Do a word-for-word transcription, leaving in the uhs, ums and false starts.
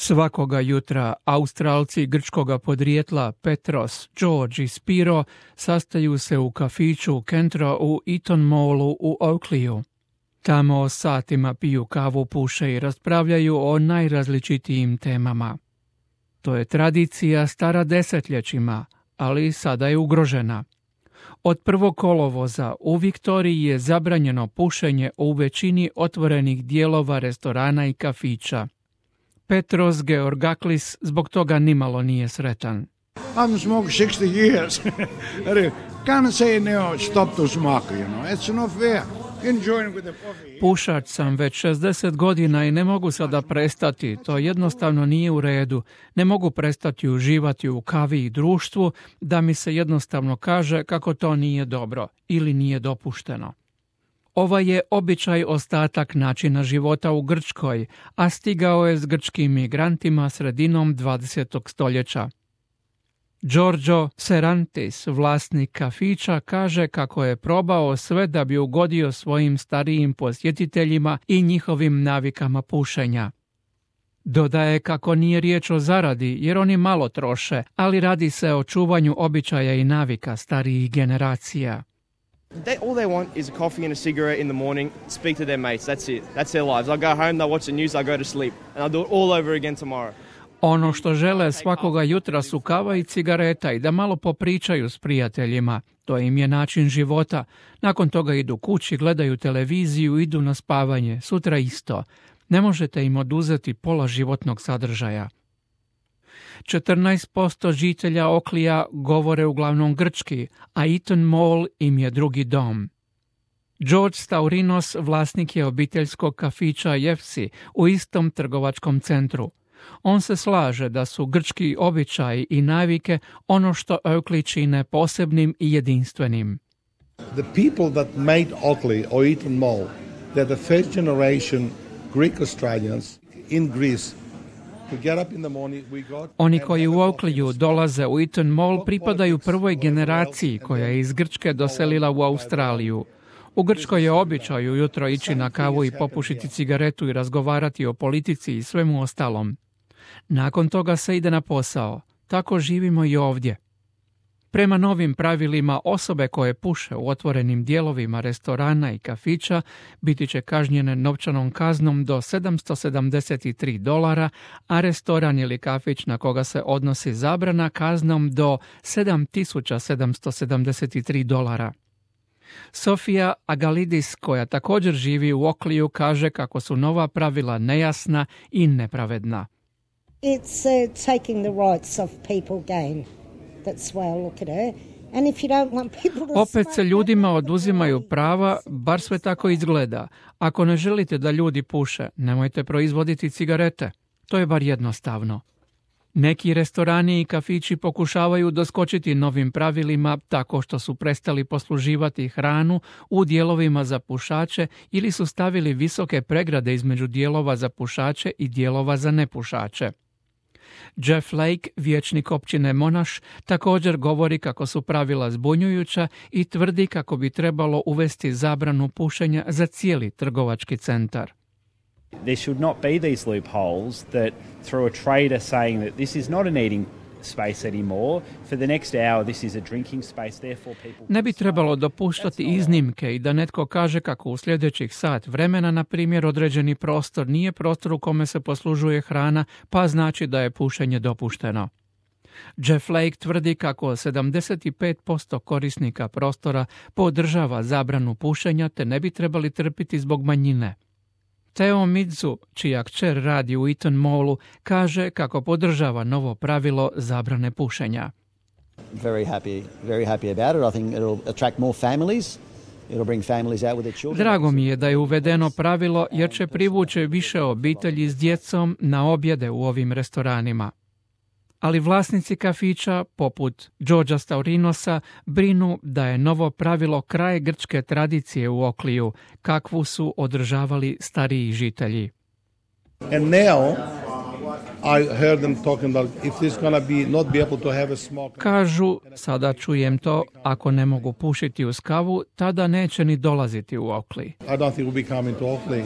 Svakoga jutra Australci grčkoga podrijetla Petros, George i Spiro sastaju se u kafiću Kentro u Eaton Mallu u Oakleyu. Tamo satima piju kavu, puše i raspravljaju o najrazličitijim temama. To je tradicija stara desetljećima, ali sada je ugrožena. Od prvog kolovoza u Viktoriji je zabranjeno pušenje u većini otvorenih dijelova restorana i kafića. Petros Georgaklis zbog toga nimalo nije sretan. I haven't smoked sixty years. Can't say now stop to smoke, you know. It's not fair. Enjoying with the coffee. Pušač sam već šezdeset godina i ne mogu sada prestati. To jednostavno nije u redu. Ne mogu prestati uživati u kavi i društvu da mi se jednostavno kaže kako to nije dobro ili nije dopušteno. Ovaj je običaj ostatak načina života u Grčkoj, a stigao je s grčkim migrantima sredinom dvadesetog stoljeća. Giorgio Serantis, vlasnik kafića, kaže kako je probao sve da bi ugodio svojim starijim posjetiteljima i njihovim navikama pušenja. Dodaje kako nije riječ o zaradi jer oni malo troše, ali radi se o čuvanju običaja i navika starijih generacija. They, all they want is a coffee and a cigarette in the morning, speak to their mates, that's it. That's their lives. I go home, they watch the news, I go to sleep. And I'll do it all over again tomorrow. Ono što žele svakoga jutra su kava i cigareta i da malo popričaju s prijateljima. To im je način života. Nakon toga idu kući, gledaju televiziju, idu na spavanje. Sutra isto. Ne možete im oduzeti pola životnog sadržaja. četrnaest posto žitelja Oakleyja govore uglavnom grčki, a Eaton Mall im je drugi dom. George Staurinos vlasnik je obiteljskog kafića Jefsi u istom trgovačkom centru. On se slaže da su grčki običaji i navike ono što Oakley čine posebnim i jedinstvenim. The people that made Oakley or Eaton Mall, they're the first generation Greek Australians in Greece. Oni koji u Oakleyu dolaze u Eaton Mall pripadaju prvoj generaciji koja je iz Grčke doselila u Australiju. U Grčkoj je običaj ujutro ići na kavu i popušiti cigaretu i razgovarati o politici i svemu ostalom. Nakon toga se ide na posao. Tako živimo i ovdje. Prema novim pravilima, osobe koje puše u otvorenim dijelovima restorana i kafića biti će kažnjene novčanom kaznom do sedamsto sedamdeset tri dolara, a restoran ili kafić na koga se odnosi zabrana kaznom do sedam tisuća sedamsto sedamdeset tri dolara. Sofija Agalidis, koja također živi u Oakleyu, kaže kako su nova pravila nejasna i nepravedna. It's uh, taking the rights of people again. That's why I look at her. And if you don't want people to Opet se ljudima oduzimaju prava, bar sve tako izgleda. Ako ne želite da ljudi puše, nemojte proizvoditi cigarete. To je bar jednostavno. Neki restorani i kafići pokušavaju doskočiti novim pravilima tako što su prestali posluživati hranu u dijelovima za pušače ili su stavili visoke pregrade između dijelova za pušače i dijelova za nepušače. Jeff Lake, vijećnik općine Monash, također govori kako su pravila zbunjujuća i tvrdi kako bi trebalo uvesti zabranu pušenja za cijeli trgovački centar. There should not be these loopholes that through a trader saying that this is not an eating space anymore, for the next hour this is a drinking space, therefore people... Ne bi trebalo dopuštati iznimke i da netko kaže kako u sljedećih sat vremena, na primjer, određeni prostor nije prostor u kome se poslužuje hrana, pa znači da je pušenje dopušteno. Jeff Lake tvrdi kako sedamdeset pet posto korisnika prostora podržava zabranu pušenja te ne bi trebali trpiti zbog manjine. Theo Midzu, čija kćer radi u Eaton Mallu, kaže kako podržava novo pravilo zabrane pušenja. Very happy, very happy about it. I think it'll attract more families. It'll bring families out with their children. Drago mi je da je uvedeno pravilo jer će privući više obitelji s djecom na objede u ovim restoranima. Ali vlasnici kafića, poput Georgea Staurinosa, brinu da je novo pravilo kraj grčke tradicije u Oakleyu, kakvu su održavali stariji žitelji. And now I heard them talking about if there's gonna be not be able to have a smoke. Kažu, sada čujem to, ako ne mogu pušiti uz kavu, tada neće ni dolaziti u Oakley. I don't think we'll be coming to Oakley.